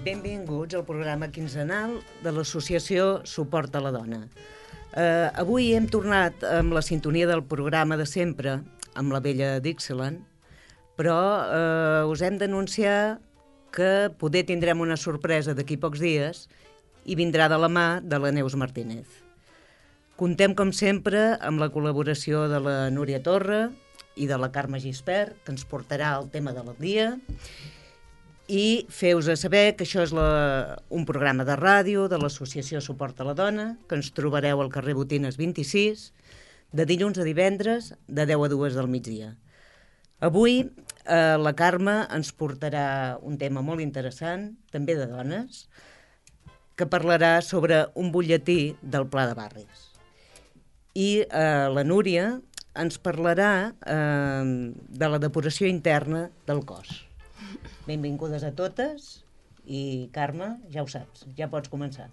Benvinguts al programa quinzenal de l'associació Suport a la Dona. Avui hem tornat amb la sintonia del programa de sempre, amb la vella Dixieland, però us hem d'anunciar que poder tindrem una sorpresa d'aquí pocs dies i vindrà de la mà de la Neus Martínez. Contem, com sempre, amb la col·laboració de la Núria Torra i de la Carme Gispert, que ens portarà el tema del dia, i feu-vos saber que això és un programa de ràdio de l'Associació Suport a la Dona, que ens trobareu al carrer Botines 26, de dilluns a divendres, de 10 a 2 del migdia. Avui la Carme ens portarà un tema molt interessant, també de dones, que parlarà sobre un butlletí del Pla de Barris. I la Núria ens parlarà de la depuració interna del cos. Benvingudes a totes i, Carme, ja ho saps, ja pots començar.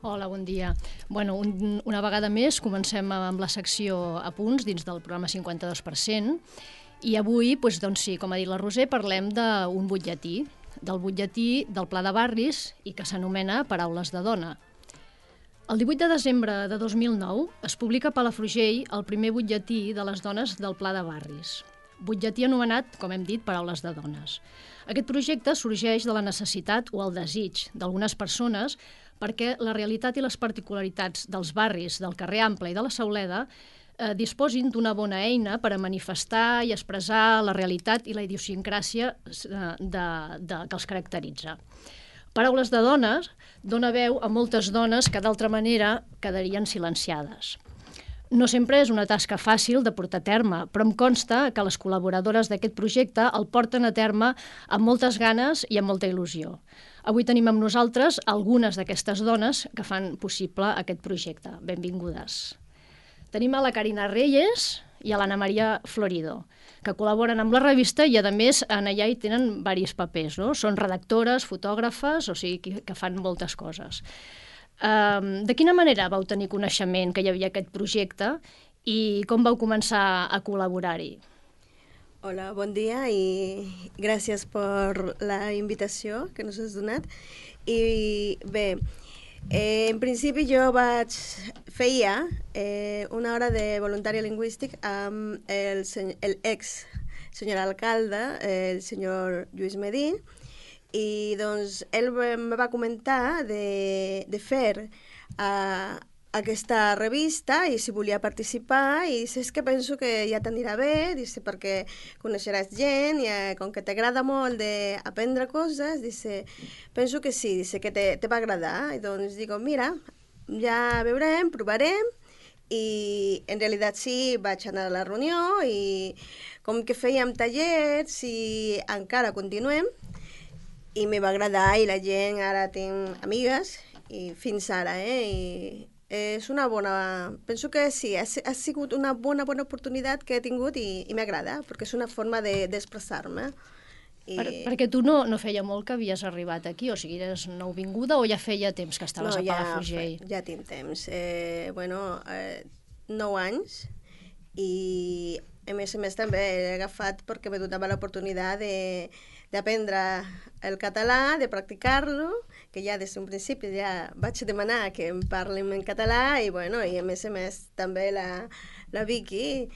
Hola, bon dia. Bueno, una vegada més comencem amb la secció a punts dins del programa 52%, i avui, doncs sí, com ha dit la Roser, parlem d'un butlletí, del butlletí del Pla de Barris i que s'anomena Paraules de Dona. El 18 de desembre de 2009 es publica a Palafrugell el primer butlletí de les dones del Pla de Barris. Butlletí anomenat, com hem dit, Paraules de Dones. Aquest projecte sorgeix de la necessitat o el desig d'algunes persones perquè la realitat i les particularitats dels barris del carrer Ample i de la Sauleda disposin d'una bona eina per a manifestar i expressar la realitat i la idiosincràsia que els caracteritza. Paraules de Dones dona veu a moltes dones que d'altra manera quedarien silenciades. No sempre és una tasca fàcil de portar a terme, però em consta que les col·laboradores d'aquest projecte el porten a terme amb moltes ganes i amb molta il·lusió. Avui tenim amb nosaltres algunes d'aquestes dones que fan possible aquest projecte. Benvingudes. Tenim a la Carina Reyes i a l'Anna Maria Florido, que col·laboren amb la revista i, a més, allà hi tenen diversos papers, no? Són redactores, fotògrafes, o sigui que fan moltes coses. De quina manera vau tenir coneixement que hi havia aquest projecte i com vau començar a col·laborar-hi? Hola, bon dia i gràcies per la invitació que ens has donat. I bé, en principi jo feia una hora de voluntari lingüístic amb l'ex senyor alcalde, el senyor Lluís Medí, i doncs ell me va comentar de fer aquesta revista i si volia participar, i dice, és que penso que ja t'anirà bé, dice, perquè coneixeràs gent i com que t'agrada molt d'aprendre coses, dice, penso que sí, dice, que te va agradar. I doncs dic, mira, ja veurem, provarem, i en realitat sí, vaig anar a la reunió i com que fèiem tallers i encara continuem, i me va agradar i la gent ara tinc amigues i fins ara, i és una bona... Penso que sí, ha sigut una bona oportunitat que he tingut i m'agrada, perquè és una forma d'expressar-me. Perquè tu no feia molt que havies arribat aquí, o sigui, eres nouvinguda o ja feia temps que estaves a Palafrugell? No, ja tinc temps. 9 anys, i a més també he agafat perquè me donava l'oportunitat d'aprendre el català, de practicar-lo, que ja des d'un principi ja vaig demanar que em parlin en català, i a més també la Vicky,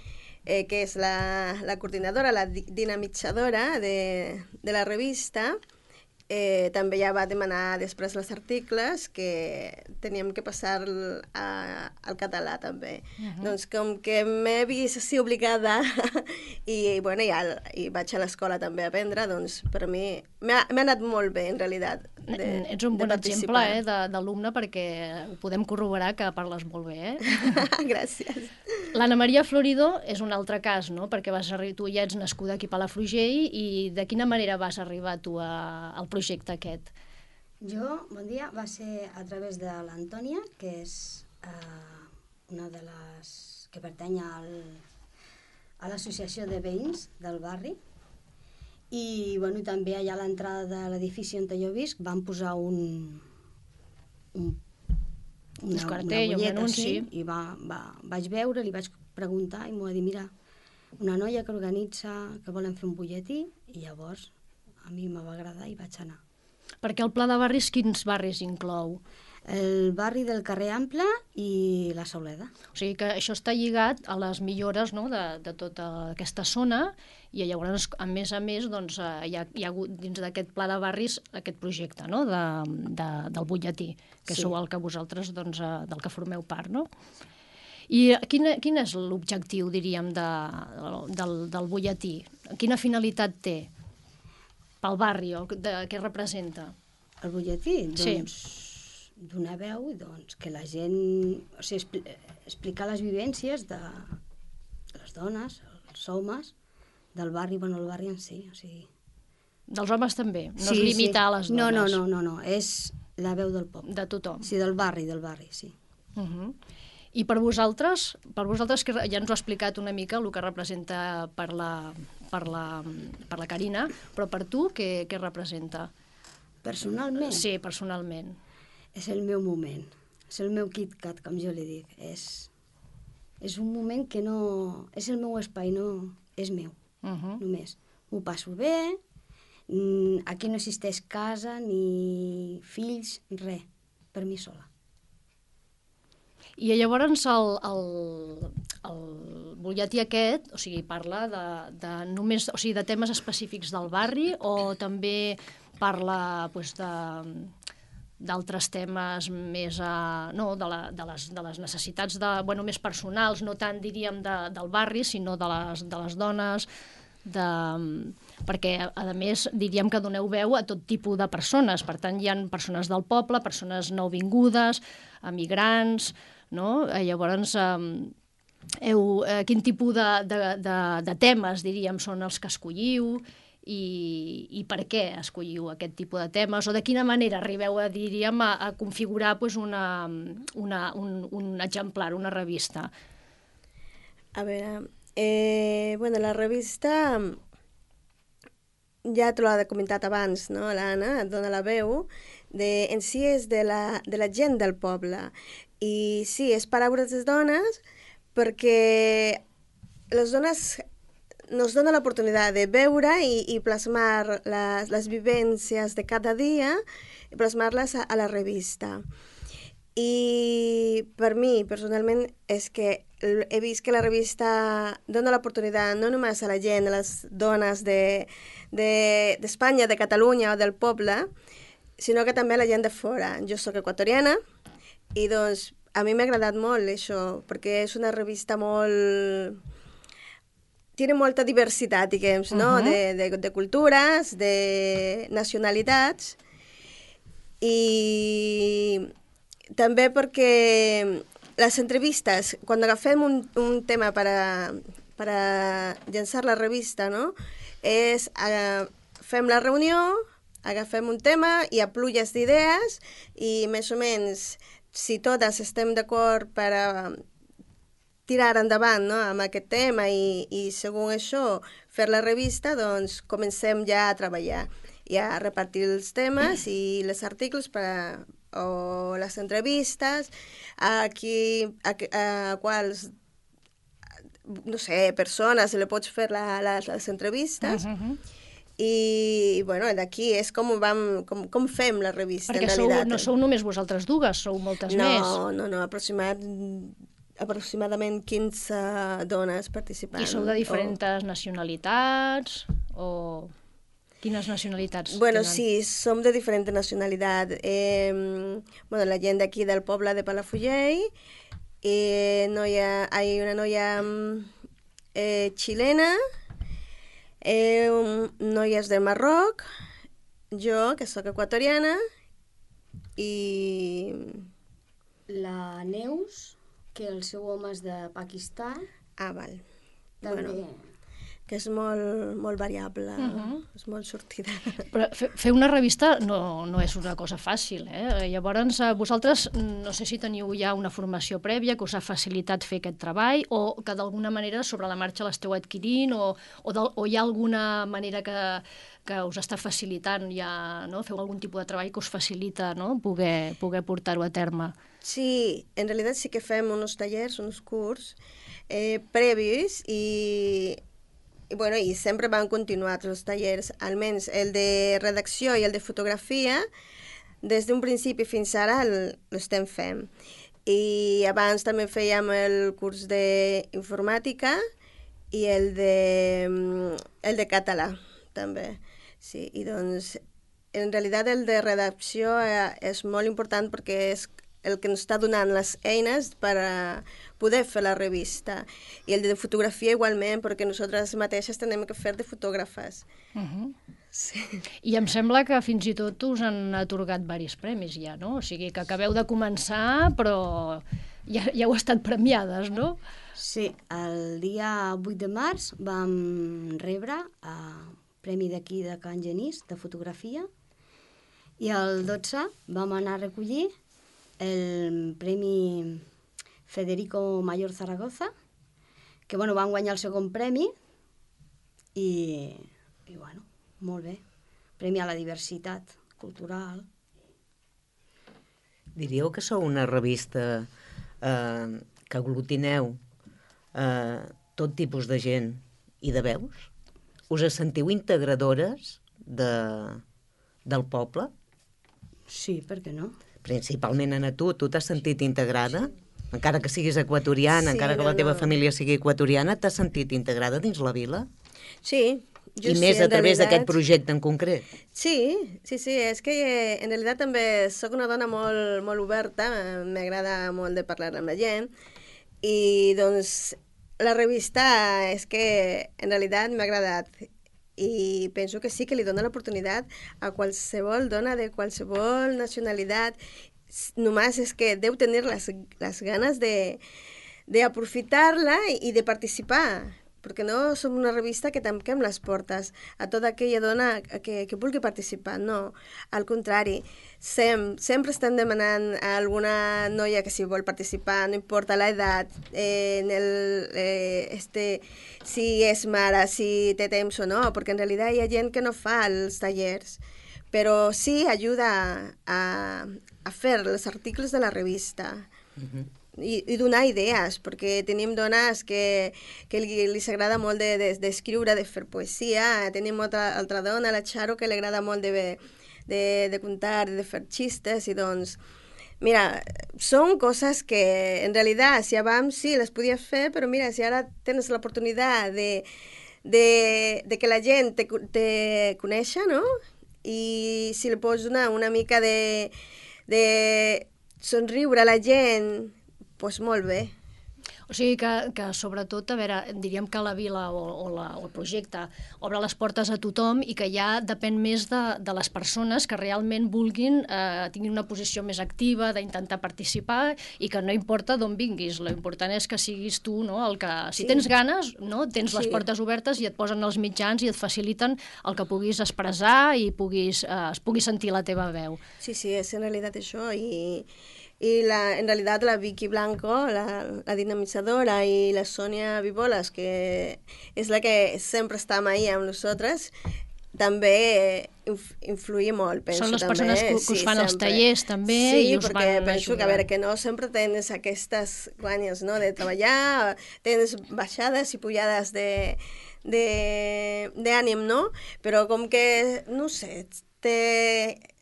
que és la coordinadora, la dinamitzadora de la revista, també ja va demanar després els articles que teníem que passar al català també. Doncs com que m'he vist així obligada i vaig a l'escola també a aprendre, doncs per a mi m'ha anat molt bé en realitat. Ets un bon exemple d'alumne perquè ho podem corroborar que parles molt bé. Gràcies. L'Anna Maria Florido és un altre cas, no? Perquè tu ja ets nascuda aquí a Palafrugell, i de quina manera vas arribar tu al projecte aquest? Jo, bon dia, va ser a través de l'Antònia, que és una de les que pertany a l'associació de veïns del barri, i també allà a l'entrada de l'edifici on jo visc van posar un cartell, un anunci, i vaig veure, li vaig preguntar i m'ho va dir, mira, una noia que organitza, que volen fer un butlletí, i llavors a mi me va agradar i vaig anar. Perquè el pla de barris, quins barris inclou? El barri del carrer Ample i la Sauleda. O sigui que això està lligat a les millores, no?, de tota aquesta zona, i llavors, a més, doncs, hi ha hagut dins d'aquest pla de barris aquest projecte, no?, del butlletí, que Sí. sou el que vosaltres, doncs, del que formeu part, no? I quin és l'objectiu, diríem, del butlletí? Quina finalitat té pel barri, o què representa? El butlletí, Sí. doncs, donar veu, doncs, que la gent... O sigui, explicar les vivències de les dones, els homes, del barri, bueno, el barri en si, o sigui... Dels homes també, no es limita a les dones. No, és la veu del poble. De tothom. Sí, del barri, sí. I per vosaltres, que ja ens ho ha explicat una mica el que representa per la Carina, però per tu què representa? Personalment, Sí, personalment. és el meu moment, és el meu KitKat, com jo li dic. És un moment que no... És el meu espai, no és meu, només. M'ho passo bé, aquí no existeix casa, ni fills, res, per mi sola. I llavors el butlletí aquest, o sigui, parla només, o sigui, de temes específics del barri, o també parla doncs, d'altres temes més de les necessitats més personals, no tant, diríem, del barri, sinó de les dones, perquè, a més, diríem que doneu veu a tot tipus de persones. Per tant, hi ha persones del poble, persones nouvingudes, emigrants, no? Llavors, quin tipus de temes, diríem, són els que escolliu, i per què escolliu aquest tipus de temes, o de quina manera arribeu diríem, a configurar un exemplar, una revista? A veure, la revista, ja te l'ha comentat abans, no? L'Anna et dona la veu, en si és de la gent del poble. I sí, és paraules de dones, perquè les dones nos dona l'oportunitat de veure i plasmar les vivències de cada dia i plasmar-les a la revista. I per mi, personalment, és que he vist que la revista dona l'oportunitat no només a la gent, a les dones d'Espanya, de Catalunya o del poble, sinó que també a la gent de fora. Jo sóc equatoriana i doncs a mi m'ha agradat molt això, perquè és una revista molt... Tiene molta diversitat, diguem, no? De cultures, de nacionalitats, i també perquè les entrevistes, quan agafem un tema per a llançar la revista, no? Fem la reunió, agafem un tema, hi ha pluges d'idees i més o menys, si totes estem d'acord per a tirar endavant, no? Amb aquest tema i segons això fer la revista, doncs comencem ja a treballar i a repartir els temes i els articles o les entrevistes a quals, no sé, persones li pots fer les entrevistes. I, bueno, d'aquí és com fem la revista, perquè en realitat. No sou només vosaltres dues, sou moltes més. No, aproximadament 15 dones participant. I sou de diferents nacionalitats, o quines nacionalitats Bueno, tenen? sí, som de diferent nacionalitat. La gent d'aquí del poble de Palafrugell, hay una noia xilena, noies del Marroc, jo, que sóc equatoriana, i... La Neus, que el seu home és de Pakistan. Ah, val. També. Bueno, que és molt variable, és molt sortida. Però fer una revista no és una cosa fàcil, eh? Llavors, vosaltres no sé si teniu ja una formació prèvia que us ha facilitat fer aquest treball, o que d'alguna manera sobre la marxa l'esteu adquirint, o hi ha alguna manera que us està facilitant ja, no? Feu algun tipus de treball que us facilita, no? poder portar-ho a terme. Sí, en realitat sí que fem uns tallers, uns curs previs, i i sempre van continuar els tallers, almenys el de redacció i el de fotografia, des d'un principi fins ara l'estem fent. I abans també fèiem el curs d'informàtica i el de català, també. Sí, i doncs, en realitat el de redacció és molt important perquè és el que ens està donant les eines per a poder fer la revista. I el de fotografia igualment, perquè nosaltres mateixes tenim que fer de fotògrafes. Sí. I em sembla que fins i tot us han atorgat diversos premis ja, no? O sigui, que acabeu de començar, però ja heu estat premiades, no? Sí, el dia 8 de març vam rebre el premi d'aquí de Can Genís, de fotografia, i el 12 vam anar a recollir el premi Federico Mayor Zaragoza, que bueno, van guanyar el segon premi i bueno, molt bé. Premi a la diversitat cultural. Diríeu que sou una revista que aglutineu tot tipus de gent i de veus? Us sentiu integradores del poble? Sí, per què no? Principalment a tu t'has sentit integrada? Encara que siguis equatoriana, encara que la teva família sigui equatoriana, t'has sentit integrada dins la vila? Sí, I més a través d'aquest projecte en concret? Sí, és que en realitat també sóc una dona molt oberta, m'agrada molt de parlar amb la gent, i doncs la revista és que en realitat m'ha agradat i penso que sí que li dona l'oportunitat a qualsevol dona de qualsevol nacionalitat. Només és que deu tenir les ganes d'aprofitar-la i de participar, perquè no som una revista que tanquem les portes a tota aquella dona que vulgui participar, no, al contrari, sempre estem demanant a alguna noia que si vol participar, no importa l'edat, si és mare, si té temps o no, perquè en realitat hi ha gent que no fa els tallers, però sí ajuda a fer els articles de la revista. I donar idees, perquè tenim dones que li agrada molt d'escriure, de fer poesia, tenim altra dona, la Charo, que li agrada molt de contar, de fer xistes, i doncs, mira, són coses que en realitat, si abans sí les podies fer, però mira, si ara tens l'oportunitat de que la gent te coneixi, no? I si li pots donar una mica de somriure a la gent, doncs molt bé. O sigui que sobretot, a veure, diríem que la vila o el projecte obre les portes a tothom i que ja depèn més de les persones que realment vulguin, tinguin una posició més activa, d'intentar participar, i que no importa d'on vinguis, l'important és que siguis tu, no? El que, si tens ganes, no? Tens les portes obertes i et posen els mitjans i et faciliten el que puguis expressar i es pugui sentir la teva veu. Sí, és en realitat això, i en realitat la Vicky Blanco, la dinamitzadora, i la Sònia Viboles, que és la que sempre està ahí amb nosaltres, també influïa molt, penso. Són les també, persones que us fan els tallers, també, i us van perquè penso ajudant. que, a veure, que no sempre tens aquestes guanyes, no?, de treballar, tens baixades i pujades d'ànim, no? Però com que, no sé,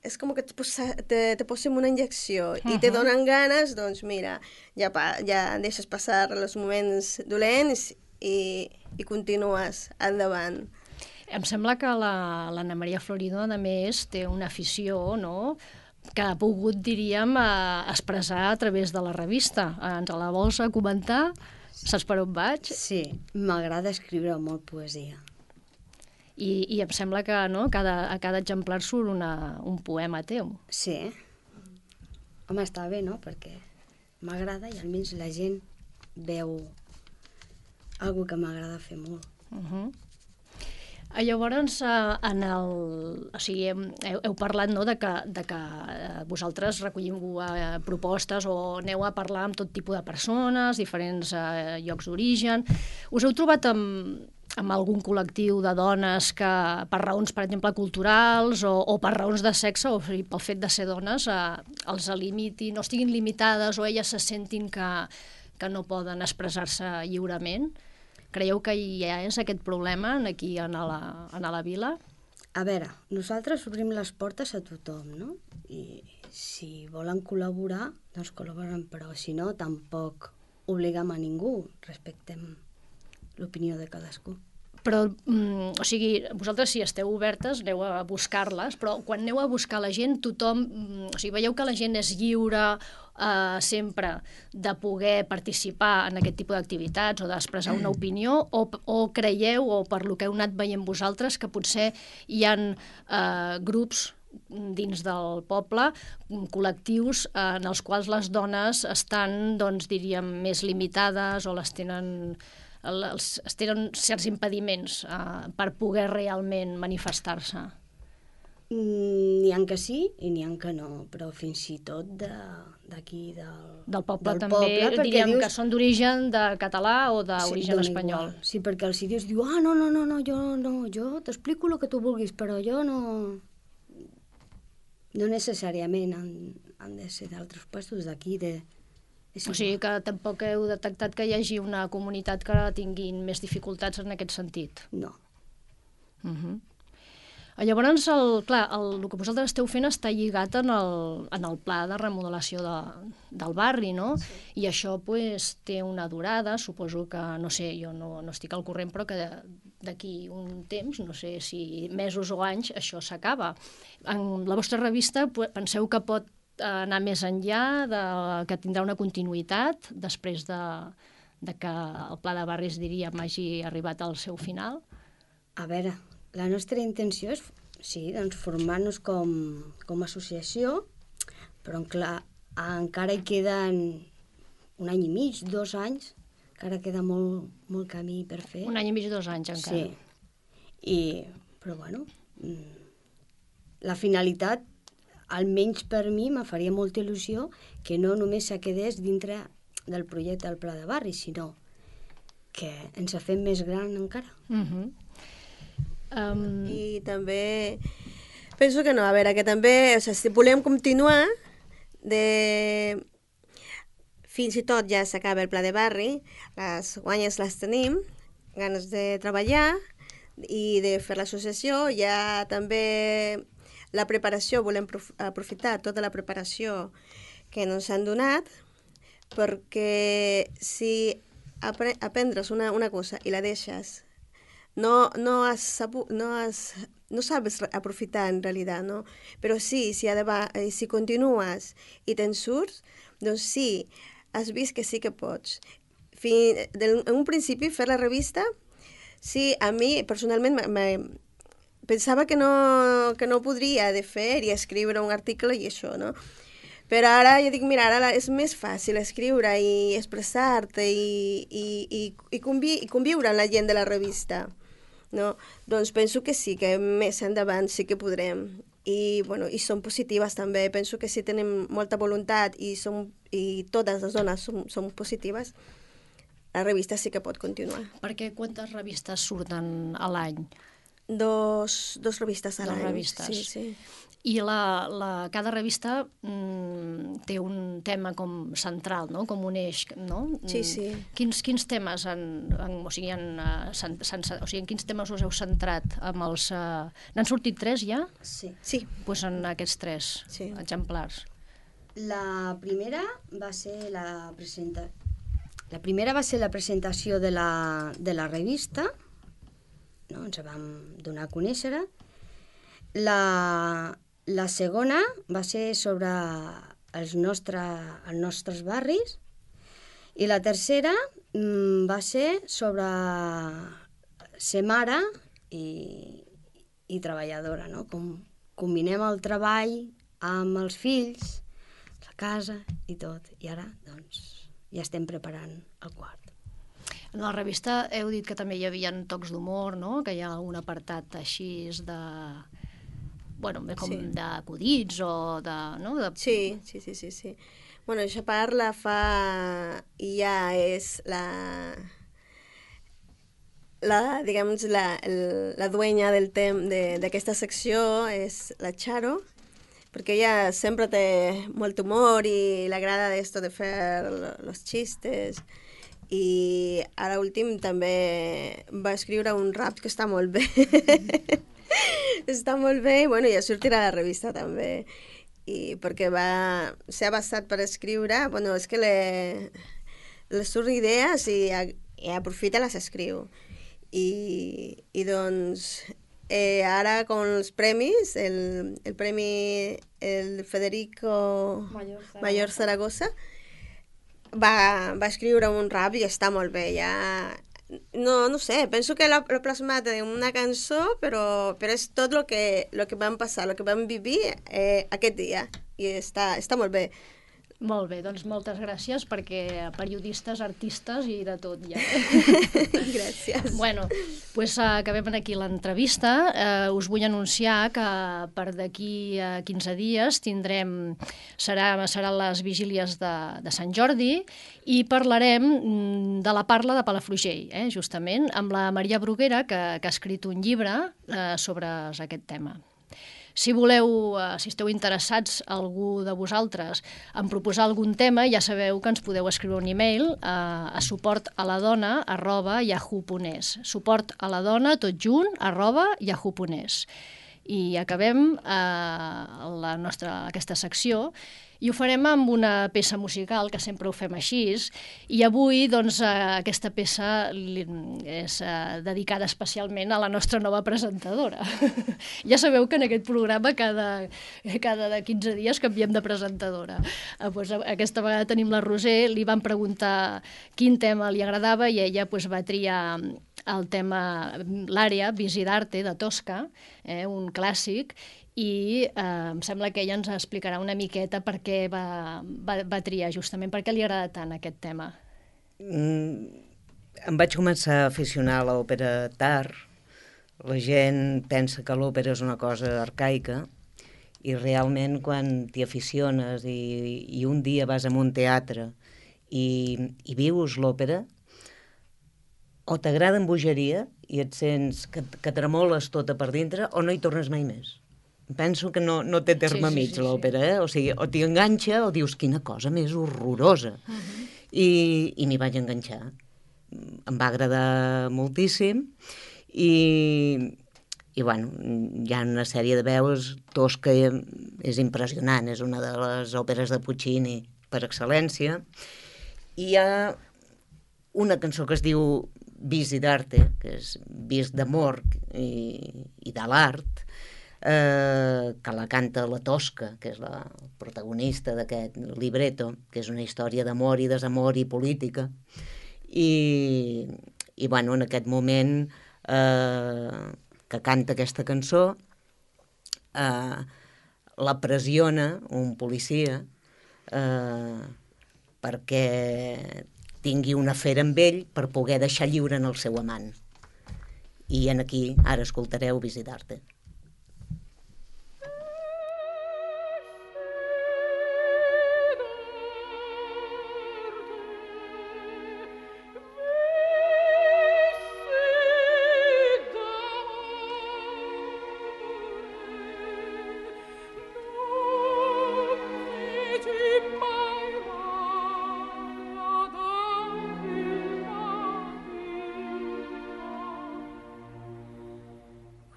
és com que te posen una injecció i te donen ganes, doncs mira, ja deixes passar els moments dolents i continues endavant. Em sembla que l'Anna Maria Florido, a més, té una afició, no?, que ha pogut, diríem, expressar a través de la revista. Ens la vols comentar? Saps per on vaig? Sí, m'agrada escriure molt poesia. I em sembla que a cada exemplar surt un poema teu. Sí. Home, està bé, no?, perquè m'agrada i almenys la gent veu alguna que m'agrada fer molt. Llavors, heu parlat, no?, de que vosaltres recollim propostes o aneu a parlar amb tot tipus de persones, diferents llocs d'origen. Us heu trobat amb algun col·lectiu de dones que per raons, per exemple, culturals o per raons de sexe, o sigui, pel fet de ser dones, els limitin, no estiguin limitades o elles se sentin que no poden expressar-se lliurement? Creieu que hi és aquest problema aquí a la vila? A veure, nosaltres obrim les portes a tothom, no? I si volen col·laborar, doncs col·laboren, però si no, tampoc obliguem a ningú, respectem l'opinió de cadascú. Però, o sigui, vosaltres si esteu obertes aneu a buscar-les, però quan aneu a buscar la gent, tothom, o sigui, veieu que la gent és lliure sempre de poder participar en aquest tipus d'activitats o d'expressar una opinió, o creieu, o per lo que heu anat veient vosaltres, que potser hi ha grups dins del poble, col·lectius en els quals les dones estan, doncs, diríem, més limitades o tenen certs impediments per poder realment manifestar-se? N'hi ha que sí i n'hi ha que no, però fins i tot d'aquí del poble també, diríem que són d'origen de català o d'origen espanyol. Sí, perquè els dius, jo t'explico el que tu vulguis, però jo no necessàriament han de ser d'altres puestos d'aquí, o sigui que tampoc heu detectat que hi hagi una comunitat que tinguin més dificultats en aquest sentit? No. Llavors, el que vosaltres esteu fent està lligat en el pla de remodelació del barri, no? Sí. I això té una durada, suposo que, no sé, jo no estic al corrent, però que d'aquí un temps, no sé si mesos o anys, això s'acaba. En la vostra revista penseu que pot anar més enllà, que tindrà una continuïtat després de que el pla de barris, diríem, hagi arribat al seu final? A veure, la nostra intenció és, sí, doncs formar-nos com a associació, però clar, encara hi queden 1 any i mig, 2 anys, encara queda molt camí per fer. 1 any i mig, 2 anys encara. Sí, però bueno, la finalitat, almenys per mi, me faria molta il·lusió que no només se quedés dintre del projecte del Pla de Barri, sinó que ens ha fet més gran encara. I també penso que no, a veure, que també, si volem continuar, fins i tot ja s'acaba el Pla de Barri, les guanyes les tenim, ganes de treballar i de fer l'associació, ja també la preparació, volem aprofitar tota la preparació que ens han donat, perquè si aprendres una cosa i la deixes, no sabes aprofitar en realitat, no? Però sí, si continues i te'n surts, doncs sí, has vist que sí que pots. En un principi, fer la revista, sí, a mi personalment pensava que no podria de fer i escriure un article i això, no? Però ara jo dic, mira, ara és més fàcil escriure i expressar-te i conviure amb la gent de la revista, no? Doncs penso que sí, que més endavant sí que podrem. I són positives també. Penso que si tenim molta voluntat i totes les dones som positives, la revista sí que pot continuar. Perquè quantes revistes surten a l'any? Dos revistes a l'any. 2 revistes. Sí. I cada revista té un tema com central, no? Com un eix, no? Sí. Quins temes en quins temes us heu centrat? N'han sortit 3 ja? Sí. Doncs en aquests 3 exemplars. La primera va ser la presentació de la revista, no? Ens vam donar a conèixer. La segona va ser sobre els nostres barris i la tercera va ser sobre ser mare i treballadora, no? Com combinem el treball amb els fills, la casa i tot. I ara, doncs, ja estem preparant el quart. En la revista heu dit que també hi havia tocs d'humor, no? Que hi ha un apartat així d'acudits o de... No? Sí. Bueno, això parla ja és la dueña d'aquesta secció és la Charo, perquè ella sempre té molt humor i l'agrada esto de fer los chistes i ara últim també va escriure un rap que està molt bé. Està molt bé i bueno, ja sortirà a la revista també. I perquè s'ha basat per escriure, bueno, és que les surt idees i aprofita les escriu. I doncs ara con els premis, el premi el Federico Mayor Zaragoza va escriure un rap i està molt bé, ja... No sé, penso que l'ha plasmat en una cançó, però és tot el que vam passar, el que vam vivir aquest dia, i està molt bé. Molt bé, doncs moltes gràcies, perquè periodistes, artistes i de tot ja. Gràcies. Bueno, doncs acabem aquí l'entrevista. Us vull anunciar que per d'aquí a 15 dies seran les vigílies de Sant Jordi i parlarem de la parla de Palafrugell, justament, amb la Maria Bruguera, que ha escrit un llibre sobre aquest tema. Si esteu interessats, algú de vosaltres, en proposar algun tema, ja sabeu que ens podeu escriure un e-mail a suportaladona@yahoo.es. Suportaladona, tot junt, @yahoo.es. I acabem aquesta secció i ho farem amb una peça musical, que sempre ho fem així, i avui doncs, aquesta peça és dedicada especialment a la nostra nova presentadora. Ja sabeu que en aquest programa cada 15 dies canviem de presentadora. Doncs, aquesta vegada tenim la Roser, li van preguntar quin tema li agradava i ella va triar el tema l'àrea Visidarte de Tosca, un clàssic, i em sembla que ella ens explicarà una miqueta per què va triar, justament per què li agrada tant aquest tema. Em vaig començar a aficionar a l'òpera tard. La gent pensa que l'òpera és una cosa arcaica i realment quan t'hi aficiones i un dia vas a un teatre i vius l'òpera, o t'agrada amb bogeria i et sents que tremoles tota per dintre, o no hi tornes mai més. Penso que no té terme mig, l'òpera, O sigui, o t'hi enganxa o dius, quina cosa més horrorosa. I m'hi vaig enganxar. Em va agradar moltíssim i bueno, hi ha una sèrie de veus. Tosca és impressionant, és una de les òperes de Puccini per excel·lència. I hi ha una cançó que es diu Visidarte, que és vis d'amor i de l'art, que la canta la Tosca, que és la protagonista d'aquest libretto, que és una història d'amor i desamor i política. I bueno, en aquest moment que canta aquesta cançó, la pressiona un policia perquè tingui una afer amb ell per poder deixar lliure en el seu amant. I aquí ara escoltareu Visidarte.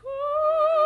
Ooh.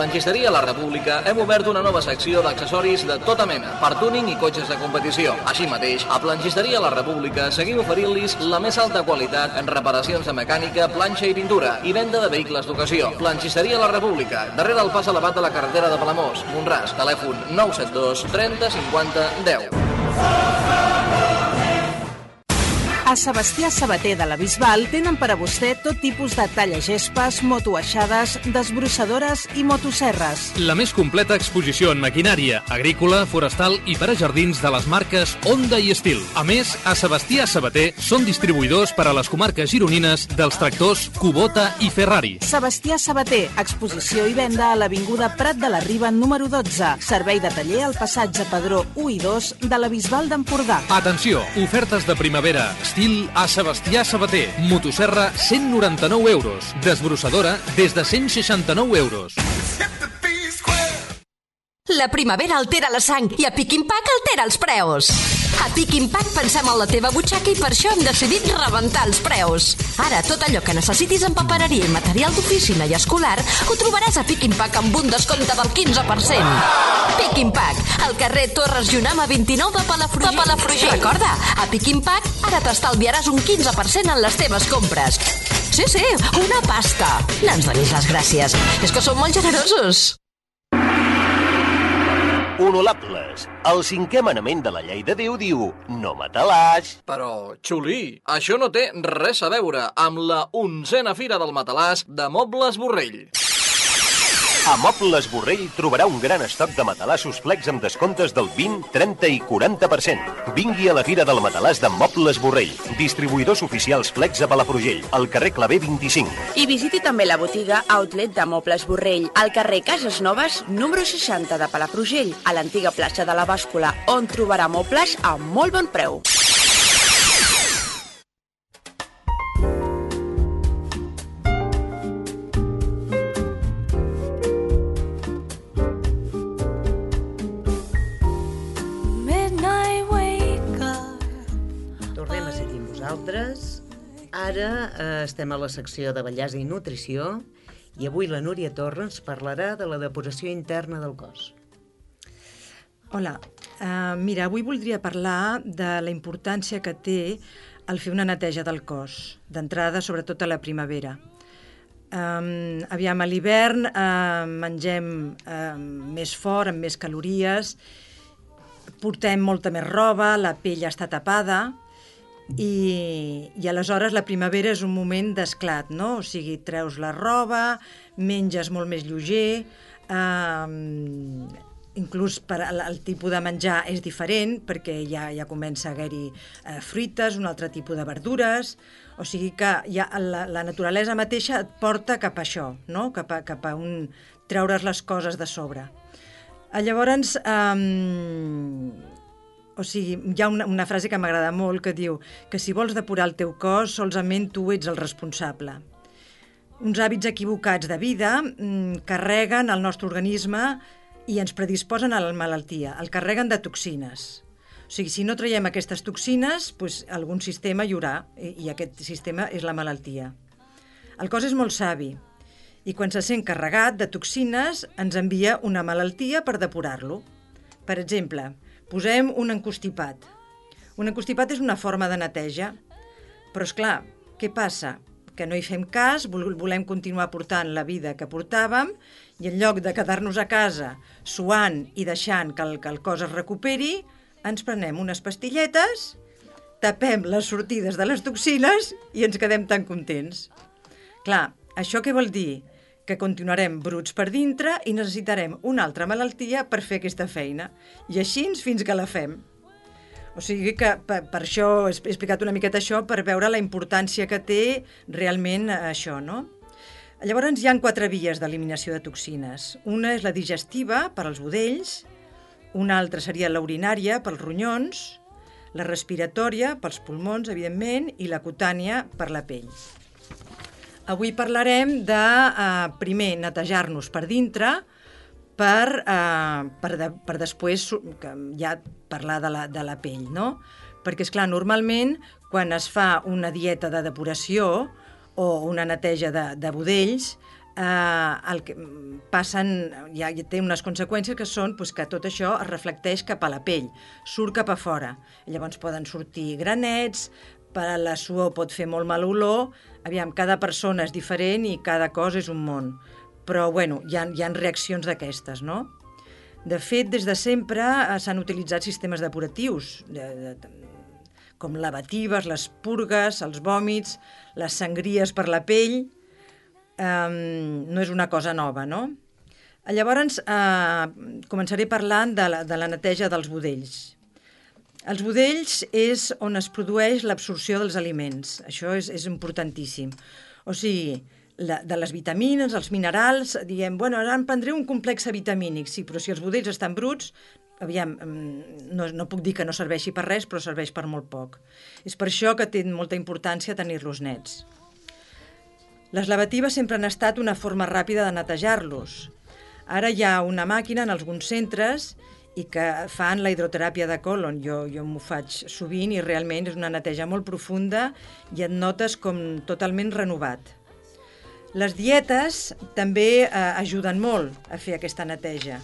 Planxisteria La República hem obert una nova secció d'accessoris de tota mena, per túning i cotxes de competició. Així mateix, a Planxisteria La República seguim oferint-los la més alta qualitat en reparacions de mecànica, planxa i pintura i venda de vehicles d'ocasió. Planxisteria La República, darrere el pas elevat de la carretera de Palamós, Mont-ras, telèfon 972 30 50 10. A Sebastià Sabater de la Bisbal tenen per a vostè tot tipus de tallagespes, motoaixades, desbrossadores i motoserres. La més completa exposició en maquinària, agrícola, forestal i per a jardins de les marques Honda i Estil. A més, a Sebastià Sabater són distribuïdors per a les comarques gironines dels tractors Kubota i Ferrari. Sebastià Sabater, exposició i venda a l'Avinguda Prat de la Riba número 12. Servei de taller al passatge Pedró 1 i 2 de la Bisbal d'Empordà. Atenció, ofertes de primavera, estil a Sebastià Sabater. Motosserra, 199 euros. Desbrossadora, des de 169 euros. La primavera altera la sang i a Pick n Pack altera els preus. A Pick n Pack pensem en la teva butxaca i per això hem decidit rebentar els preus. Ara, tot allò que necessitis en papereria i material d'oficina i escolar ho trobaràs a Pick n Pack amb un descompte del 15%. Pick n Pack, al carrer Torres Junama 29 de Palafrugell. Recorda, a Pick n Pack ara t'estalviaràs un 15% en les teves compres. Sí, una pasta. No ens donis les gràcies. És que som molt generosos. Honorables, el 5è manament de la llei de Déu diu no mataràs. Però, Xulí, això no té res a veure amb la 11a Fira del Matalàs de Mobles Borrell. A Mobles Borrell trobarà un gran estoc de matalassos flex amb descomptes del 20, 30 i 40%. Vingui a la Fira del Matalàs de Mobles Borrell, distribuïdors oficials flex a Palafrugell, al carrer Clavé 25. I visiti també la botiga Outlet de Mobles Borrell, al carrer Cases Noves, número 60 de Palafrugell, a l'antiga plaça de la Bàscula, on trobarà mobles a molt bon preu. Ara estem a la secció de bellesa i nutrició i avui la Núria Torra ens parlarà de la depuració interna del cos. Hola, mira, avui voldria parlar de la importància que té el fer una neteja del cos, d'entrada, sobretot a la primavera. Aviam, a l'hivern mengem més fort, amb més calories, portem molta més roba, la pell està tapada, i aleshores la primavera és un moment d'esclat, no? O sigui, treus la roba, menges molt més lleuger, inclús el tipus de menjar és diferent perquè ja comença a haver-hi fruites, un altre tipus de verdures, o sigui que la naturalesa mateixa et porta cap a això, no? Cap a treure's les coses de sobre. Llavors, o sigui, hi ha una frase que m'agrada molt que diu que si vols depurar el teu cos, solament tu ets el responsable. Uns hàbits equivocats de vida carreguen el nostre organisme i ens predisposen a la malaltia, el carreguen de toxines. O sigui, si no traiem aquestes toxines, doncs algun sistema hi haurà, i aquest sistema és la malaltia. El cos és molt savi, i quan se sent carregat de toxines ens envia una malaltia per depurar-lo. Per exemple, posem un encostipat. Un encostipat és una forma de neteja, però, esclar, què passa? Que no hi fem cas, volem continuar portant la vida que portàvem i en lloc de quedar-nos a casa suant i deixant que el cos es recuperi, ens prenem unes pastilletes, tapem les sortides de les toxines i ens quedem tan contents. Clar, això què vol dir? Que continuarem bruts per dintre i necessitarem una altra malaltia per fer aquesta feina. I així fins que la fem. O sigui que per això he explicat una miqueta això, per veure la importància que té realment això, no? Llavors hi ha 4 vies d'eliminació de toxines. Una és la digestiva, per als budells, una altra seria la urinària, pels ronyons, la respiratòria, pels pulmons, evidentment, i la cutània, per la pell. Avui parlarem de, primer, netejar-nos per dintre per després ja parlar de la pell, no? Perquè, esclar, normalment, quan es fa una dieta de depuració o una neteja de budells, el que passen, ja té unes conseqüències que són que tot això es reflecteix cap a la pell, surt cap a fora. Llavors poden sortir granets, per la suor pot fer molt mal olor, aviam, cada persona és diferent i cada cosa és un món. Però, bueno, hi ha reaccions d'aquestes, no? De fet, des de sempre s'han utilitzat sistemes depuratius, com lavatives, les purgues, els vòmits, les sangries per la pell. No és una cosa nova, no? Llavors, començaré parlant de la neteja dels budells. Els budells és on es produeix l'absorció dels aliments. Això és importantíssim. O sigui, de les vitamines, els minerals, diem, bueno, ara em prendré un complex vitamínic, sí, però si els budells estan bruts, aviam, no puc dir que no serveixi per res, però serveix per molt poc. És per això que té molta importància tenir-los nets. Les lavatives sempre han estat una forma ràpida de netejar-los. Ara hi ha una màquina en alguns centres i que fan la hidroteràpia de colon. Jo m'ho faig sovint i realment és una neteja molt profunda i et notes com totalment renovat. Les dietes també ajuden molt a fer aquesta neteja.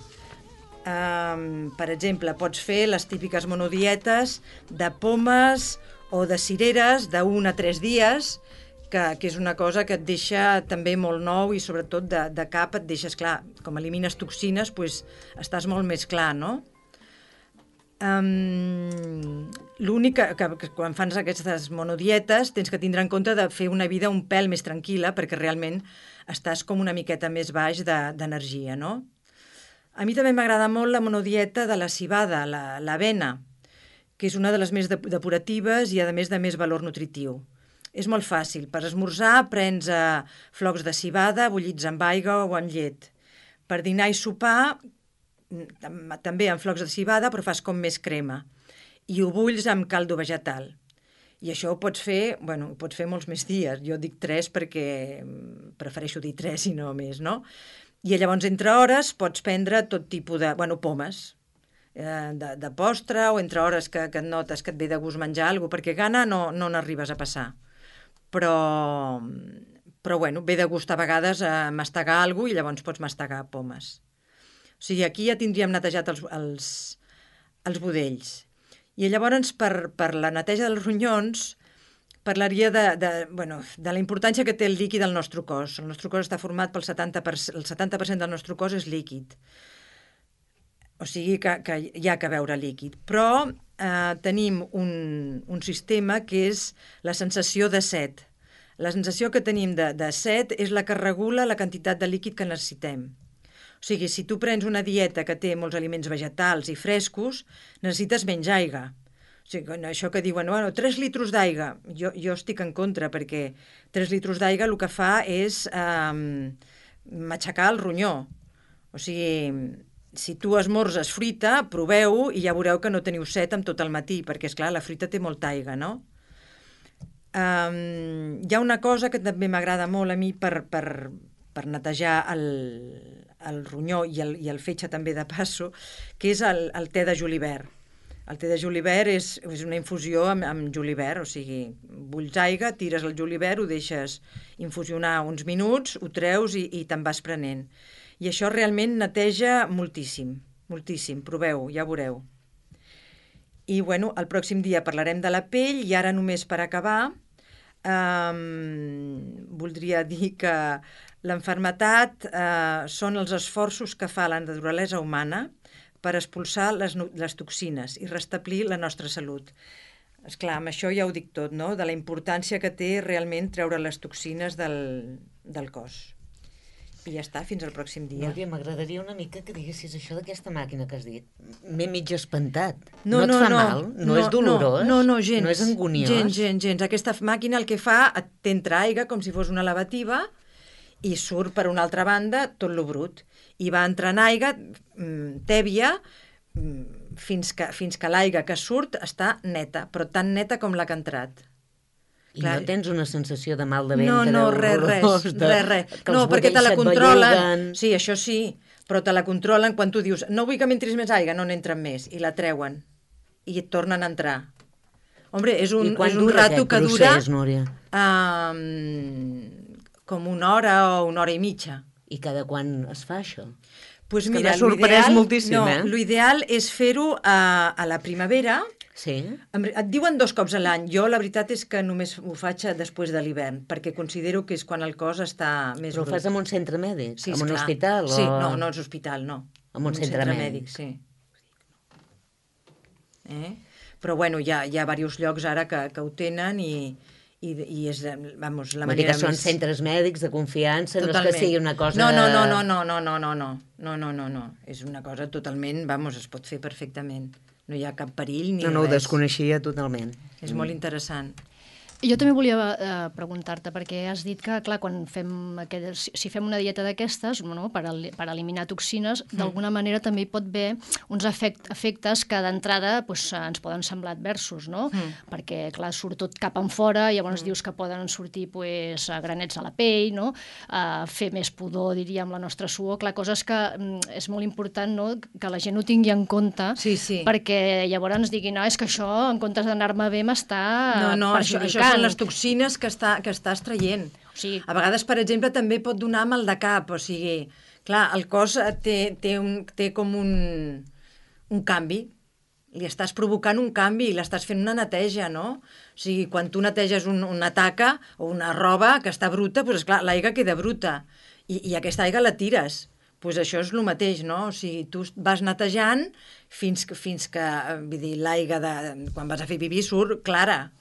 Per exemple, pots fer les típiques monodietes de pomes o de cireres d'1 a 3 dies, que és una cosa que et deixa també molt nou i sobretot de cap et deixes clar. Com elimines toxines, doncs estàs molt més clar, no? L'únic que quan fas aquestes monodietes tens que tindre en compte de fer una vida un pèl més tranquil·la perquè realment estàs com una miqueta més baix d'energia, no? A mi també m'agrada molt la monodieta de la civada, l'avena, que és una de les més depuratives i a més de més valor nutritiu. És molt fàcil. Per esmorzar prens flocs de civada bullits amb aigua o amb llet. Per dinar i sopar també amb flocs de civada, però fas com més crema. I ho bulls amb caldo vegetal. I això ho pots fer molts més dies. Jo dic 3 perquè prefereixo dir 3 i no més, no? I llavors entre hores pots prendre tot tipus de, pomes, de postre, o entre hores que et notes que et ve de gust menjar alguna cosa, perquè gana no n'arribes a passar. Però ve de gust a vegades mastegar alguna cosa i llavors pots mastegar pomes. O sigui, aquí ja tindríem netejat els budells. I llavors, per la neteja dels ronyons, parlaria de la importància que té el líquid al nostre cos. El nostre cos està format pel 70%, el 70% del nostre cos és líquid. O sigui que hi ha que beure líquid. Però tenim un sistema que és la sensació de set. La sensació que tenim de set és la que regula la quantitat de líquid que necessitem. O sigui, si tu prens una dieta que té molts aliments vegetals i frescos, necessites menys aigua. O sigui, això que diuen, 3 litres d'aigua, jo estic en contra, perquè 3 litres d'aigua el que fa és matxacar el ronyó. O sigui, si tu esmorzes fruita, proveu i ja veureu que no teniu set amb tot el matí, perquè, esclar, la fruita té molta aigua, no? Hi ha una cosa que també m'agrada molt a mi per netejar el ronyó i el fetge també de passo, que és el te de julivert. El te de julivert és una infusió amb julivert, o sigui, bulls aigua, tires el julivert, ho deixes infusionar uns minuts, ho treus i te'n vas prenent. I això realment neteja moltíssim, moltíssim. Proveu, ja veureu. I, el pròxim dia parlarem de la pell i ara només per acabar voldria dir que l'enfermetat són els esforços que fa la naturalesa humana per expulsar les toxines i restablir la nostra salut. Esclar, amb això ja ho dic tot, no? De la importància que té realment treure les toxines del cos. I ja està, fins al pròxim dia. Núria, m'agradaria una mica que diguessis això d'aquesta màquina que has dit. M'he mig espantat. No et fa mal? No és dolorós? No, gens. No és anguniós? Gens. Aquesta màquina el que fa, t'entra aigua com si fos una lavativa i surt per una altra banda tot lo brut. I va entrant aigua tèbia fins que l'aigua que surt està neta, però tan neta com la que ha entrat. I no tens una sensació de mal de ventre? No, res. No, perquè te la controlen. Sí, això sí, però te la controlen quan tu dius no vull que m'entris més aigua, no n'entren més, i la treuen, i et tornen a entrar. Hombre, és un rato que dura Núria? Com 1 hora o 1 hora i mitja. I cada quan es fa això? Pues que mira, m'ha sorprès moltíssim, l'ideal és fer-ho a la primavera. Sí. Et diuen 2 cops a l'any. Jo la veritat és que només ho faig després de l'hivern, perquè considero que és quan el cos està més... Però ho fas en un centre mèdic? Sí, en un esclar. hospital? Sí, no és hospital, no. En un centre mèdic. Sí. Però bueno, hi ha diversos llocs ara que ho tenen i és, vamos, la manera més... Són centres mèdics de confiança, totalment. No és que sigui una cosa... No. És una cosa totalment, vamos, es pot fer perfectament. No hi ha cap perill ni res. No, ho desconeixia totalment. És molt interessant. Jo també volia preguntar-te, perquè has dit que, clar, quan si fem una dieta d'aquestes, no, per eliminar toxines, d'alguna manera també hi pot haver uns efectes que d'entrada ens poden semblar adversos, no? Perquè, clar, surt tot cap enfora, i llavors dius que poden sortir granets a la pell, no? Fer més pudor, diríem, la nostra suor. Clar, coses que és molt important, no?, que la gent ho tingui en compte, perquè llavors diguin, no, és que això, en comptes d'anar-me bé, m'està perjudicant. Són les toxines que estàs traient. A vegades, per exemple, també pot donar mal de cap. O sigui, clar, el cos té com un canvi. Li estàs provocant un canvi i l'estàs fent una neteja, no? O sigui, quan tu neteges una taca o una roba que està bruta, doncs clar, l'aigua queda bruta i aquesta aigua la tires. Doncs això és el mateix, no? O sigui, tu vas netejant fins que vull dir, l'aigua quan vas a fer pipí surt clara.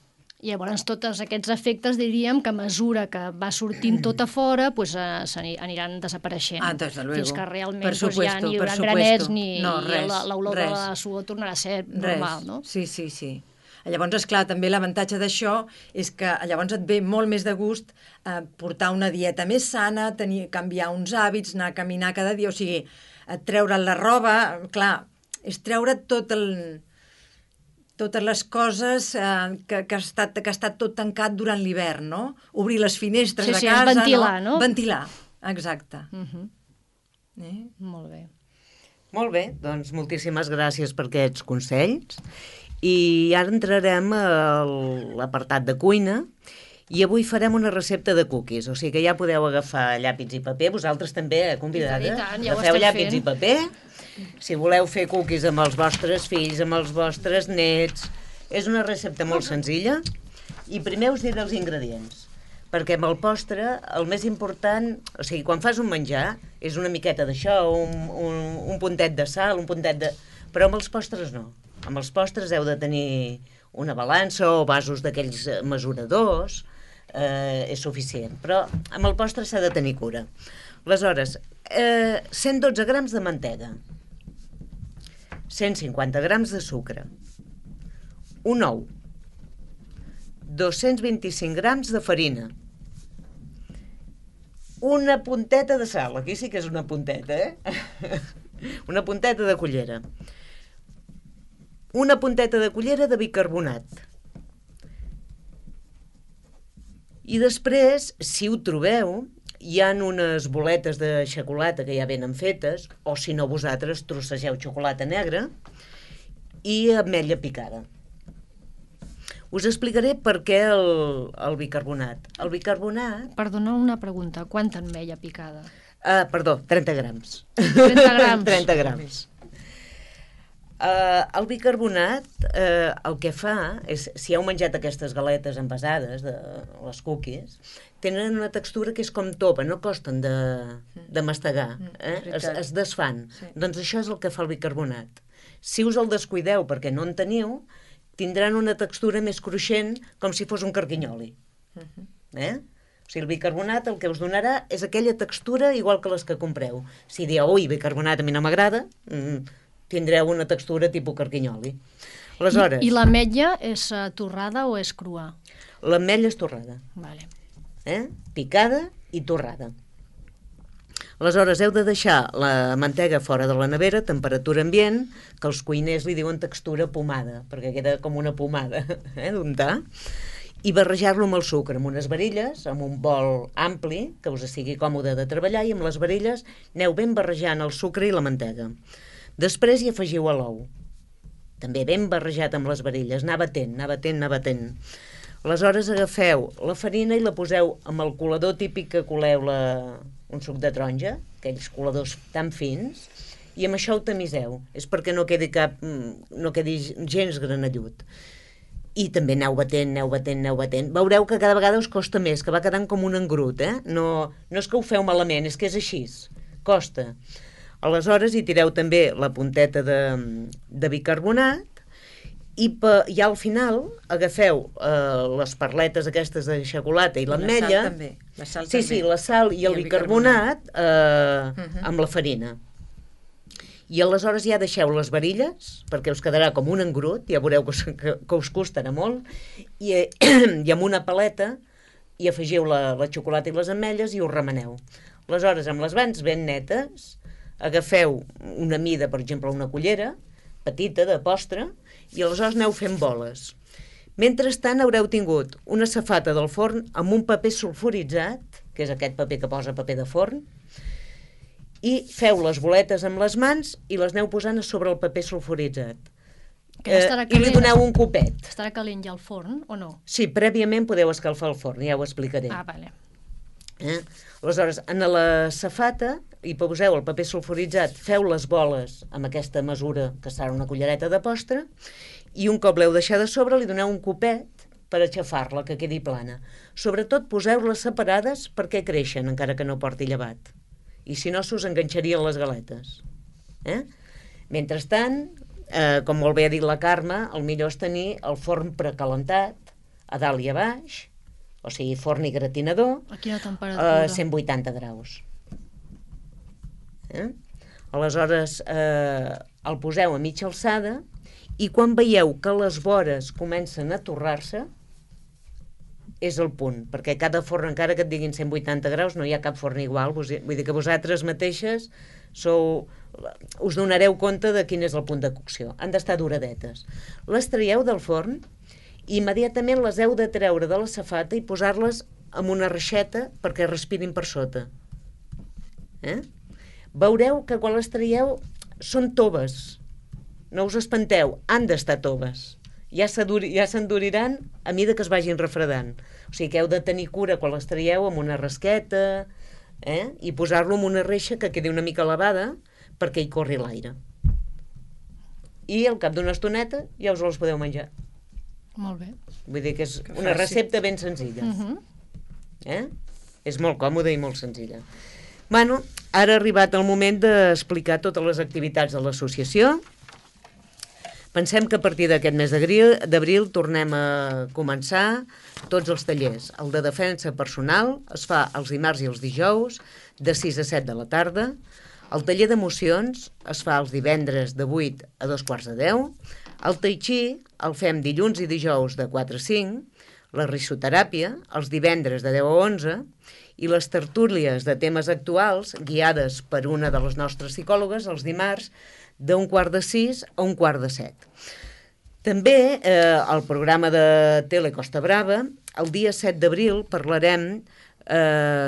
I llavors tots aquests efectes diríem que a mesura que va sortint tot a fora s'aniran desapareixent. Des de luego. Fins que realment ja ni hi haurà granets ni l'olor de la suor tornarà a ser normal, no? Sí. Llavors, esclar, també l'avantatge d'això és que llavors et ve molt més de gust portar una dieta més sana, canviar uns hàbits, anar a caminar cada dia, o sigui, treure la roba, clar, és treure totes les coses que ha estat tot tancat durant l'hivern, no? Obrir les finestres de casa... ventilar, no? Ventilar, exacte. Molt bé. Molt bé, doncs moltíssimes gràcies per aquests consells. I ara entrarem a l'apartat de cuina i avui farem una recepta de cookies, o sigui que ja podeu agafar llàpis i paper, vosaltres també, convidades, agafeu llàpis i paper. Si voleu fer cookies amb els vostres fills, amb els vostres nets, és una recepta molt senzilla i primer us diré els ingredients, perquè amb el postre el més important, o sigui, quan fas un menjar és una miqueta d'això, un puntet de sal, un puntet de... però amb els postres no. Amb els postres heu de tenir una balança o vasos d'aquells mesuradors, és suficient, però amb el postre s'ha de tenir cura. Aleshores, 112 grams de mantega, 150 grams de sucre, un ou, 225 grams de farina, una punteta de sal, aquí sí que és una punteta, una punteta de cullera, una punteta de cullera de bicarbonat. I després, si ho trobeu, hi ha unes boletes de xocolata que ja venen fetes, o si no vosaltres trossegeu xocolata negra i ametlla picada. Us explicaré per què el bicarbonat. El bicarbonat... Perdona una pregunta, quanta ametlla picada? Perdó, 30 grams. 30 grams? 30 grams. El bicarbonat el que fa és, si heu menjat aquestes galetes envasades, les cookies, tenen una textura que és com topa, no costen de mastegar, es desfan. Doncs això és el que fa el bicarbonat. Si us el descuideu perquè no en teniu, tindran una textura més cruixent, com si fos un carquinyoli. O sigui, el bicarbonat el que us donarà és aquella textura igual que les que compreu. Si dieu, ui, bicarbonat a mi no m'agrada, tindreu una textura tipus carquinyoli. Aleshores... I l'ametlla és torrada o és crua? L'ametlla és torrada. Vale. Picada i torrada. Aleshores, heu de deixar la mantega fora de la nevera, temperatura ambient, que els cuiners li diuen textura pomada, perquè queda com una pomada d'untar, i barrejar-lo amb el sucre, amb unes varilles, amb un bol ampli, que us sigui còmode de treballar, i amb les varilles aneu ben barrejant el sucre i la mantega. Després hi afegiu l'ou, també ben barrejat amb les varilles, anar batent. Aleshores agafeu la farina i la poseu amb el colador típic que coleu un suc de taronja, aquells coladors tan fins, i amb això ho tamiseu. És perquè no quedi gens granellut. I també aneu batent. Veureu que cada vegada us costa més, que va quedant com un engrut, No és que ho feu malament, és que és així. Costa. Aleshores hi tireu també la punteta de bicarbonat i al final agafeu les perletes aquestes de xocolata i l'ametlla. La sal també. Sí, la sal i el bicarbonat amb la farina. I aleshores ja deixeu les varilles, perquè us quedarà com un engrut, ja veureu que us costarà molt, i amb una paleta hi afegiu la xocolata i les ametlles i ho remeneu. Aleshores, amb les mans ben netes, agafeu una mida, per exemple, una cullera petita de postre, i aleshores aneu fent boles. Mentrestant haureu tingut una safata del forn amb un paper sulfuritzat, que és aquest paper que posa paper de forn, i feu les boletes amb les mans i les aneu posant a sobre el paper sulfuritzat. I li doneu un copet. Estarà calent ja el forn, o no? Sí, prèviament podeu escalfar el forn, ja ho explicaré. Vale. Aleshores, en la safata hi poseu el paper sulfuritzat, feu les boles amb aquesta mesura, que serà una cullereta de postre, i un cop l'heu deixat a sobre li doneu un copet per aixafar-la, que quedi plana. Sobretot poseu-les separades perquè creixen, encara que no porti llevat. I si no, s'us enganxarien les galetes. Mentrestant, com molt bé ha dit la Carme, el millor és tenir el forn precalentat, a dalt i a baix, o sigui, forn i gratinador, a quina temperatura? 180 graus. Aleshores, el poseu a mitja alçada i quan veieu que les vores comencen a torrar-se, és el punt, perquè cada forn, encara que et diguin 180 graus, no hi ha cap forn igual, vull dir que vosaltres mateixes us donareu compte de quin és el punt de cocció. Han d'estar doradetes. Les traieu del forn i immediatament les heu de treure de la safata i posar-les en una reixeta perquè respirin per sota. Veureu que quan les traieu són toves. No us espanteu, han d'estar toves. Ja s'enduriran a mida que es vagin refredant. O sigui que heu de tenir cura quan les traieu amb una rasqueta i posar-lo en una reixa que quedi una mica elevada perquè hi corri l'aire. I al cap d'una estoneta ja us les podeu menjar. Molt bé. Vull dir que és una recepta ben senzilla. És molt còmoda i molt senzilla. Bueno, ara ha arribat el moment d'explicar totes les activitats de l'associació. Pensem que a partir d'aquest mes d'abril tornem a començar tots els tallers. El de defensa personal es fa els dimarts i els dijous, de 6 a 7 de la tarda. El taller d'emocions es fa els divendres de 8 a 2:45. El tai chi el fem dilluns i dijous de 4 a 5. La risoteràpia els divendres de 10 a 11. I les tertúlies de temes actuals, guiades per una de les nostres psicòlogues, els dimarts, de 5:45 a 6:45. També al programa de Tele Costa Brava, el dia 7 d'abril parlarem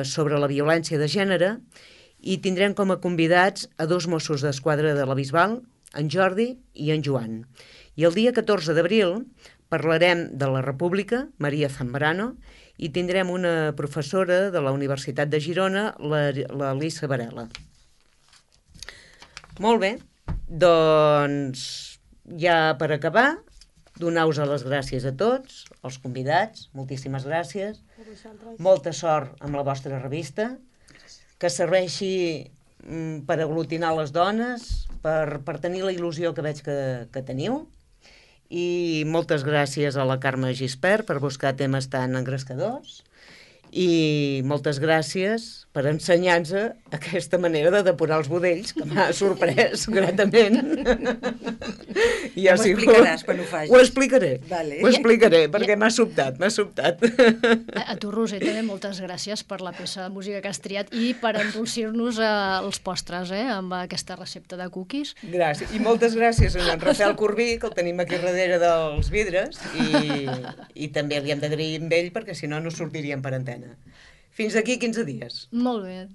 sobre la violència de gènere i tindrem com a convidats a 2 Mossos d'Esquadra de la Bisbal, en Jordi i en Joan. I el dia 14 d'abril parlarem de la República, Maria Zambrano, i tindrem una professora de la Universitat de Girona, la Lisa Varela. Molt bé, doncs ja per acabar, donar-vos les gràcies a tots, els convidats, moltíssimes gràcies, molta sort amb la vostra revista, que serveixi per aglutinar les dones, per tenir la il·lusió que veig que teniu, i moltes gràcies a la Carme Gispert per buscar temes tan engrescadors i moltes gràcies per ensenyar-nos aquesta manera de depurar els budells, que m'ha sorprès gratament. Ja m'ho explicaràs quan ho facis. Ho explicaré, perquè m'ha sobtat. A tu, Roser, també moltes gràcies per la peça de música que has triat i per endolcir-nos els postres, amb aquesta recepta de cookies. Gràcies, i moltes gràcies a en Rafael Corbí, que el tenim aquí darrere dels vidres, i també li hem d'agrair amb ell, perquè si no, no sortiríem per antena. Fins aquí 15 dies. Molt bé.